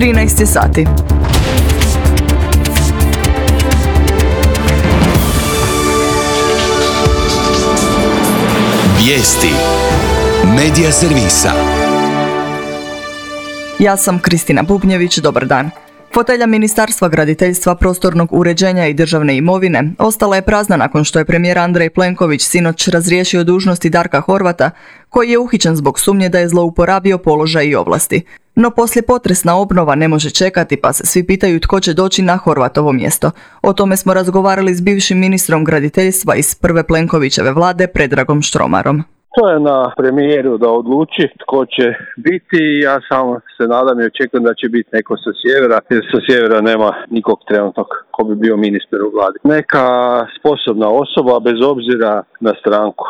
13 sati. Vijesti Medija servisa. Ja sam Kristina Bubnjević, dobar dan. Fotelja Ministarstva graditeljstva, prostornog uređenja i državne imovine ostala je prazna nakon što je premijer Andrej Plenković sinoć razriješio dužnosti Darka Horvata, koji je uhićen zbog sumnje da je zlouporabio položaj i ovlasti. No poslijepotresna obnova ne može čekati, pa se svi pitaju tko će doći na Horvatovo mjesto. O tome smo razgovarali s bivšim ministrom graditeljstva iz prve Plenkovićeve vlade, Predragom Štromarom. To je na premijeru da odluči tko će biti. Ja samo se nadam i očekujem da će biti neko sa sjevera, jer sa sjevera nema nikog trenutnog ko bi bio ministar u vladi. Neka sposobna osoba bez obzira na stranku.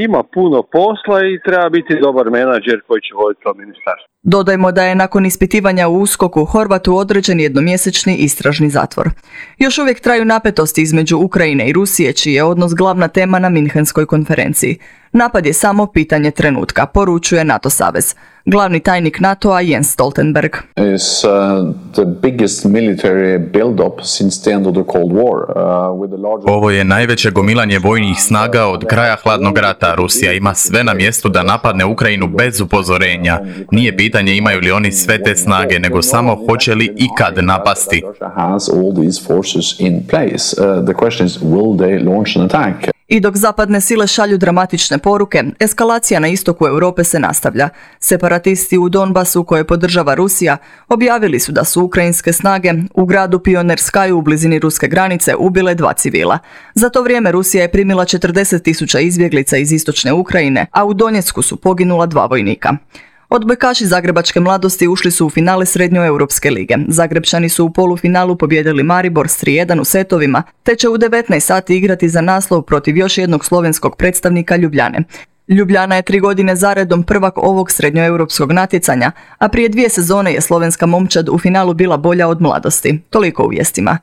Ima puno posla i treba biti dobar menadžer koji će voditi to ministarstvo. Dodajmo da je nakon ispitivanja u USKOK-u Horvatu određen jednomjesečni istražni zatvor. Još uvijek traju napetosti između Ukrajine i Rusije, čiji je odnos glavna tema na Minhenskoj konferenciji. Napad je samo pitanje trenutka, poručuje NATO savez. Glavni tajnik NATO-a Jens Stoltenberg. Ovo je najveće gomilanje vojnih snaga od kraja hladnog rata. Rusija ima sve na mjestu da napadne Ukrajinu bez upozorenja. Nije pitanje imaju li oni sve te snage, nego samo hoće li ikad napasti. I dok zapadne sile šalju dramatične poruke, eskalacija na istoku Europe se nastavlja. Separatisti u Donbasu, koje podržava Rusija, objavili su da su ukrajinske snage u gradu Pionerskaju u blizini ruske granice ubile 2 civila. Za to vrijeme Rusija je primila 40.000 izbjeglica iz istočne Ukrajine, a u Donjecku su poginula 2 vojnika. Odbojkaši zagrebačke mladosti ušli su u finale Srednjoeuropske lige. Zagrebčani su u polufinalu pobijedili Maribor s 3:1 u setovima, te će u 19 sati igrati za naslov protiv još jednog slovenskog predstavnika Ljubljane. Ljubljana je 3 godine zaredom prvak ovog srednjoeuropskog natjecanja, a prije 2 sezone je slovenska momčad u finalu bila bolja od mladosti. Toliko u vijestima.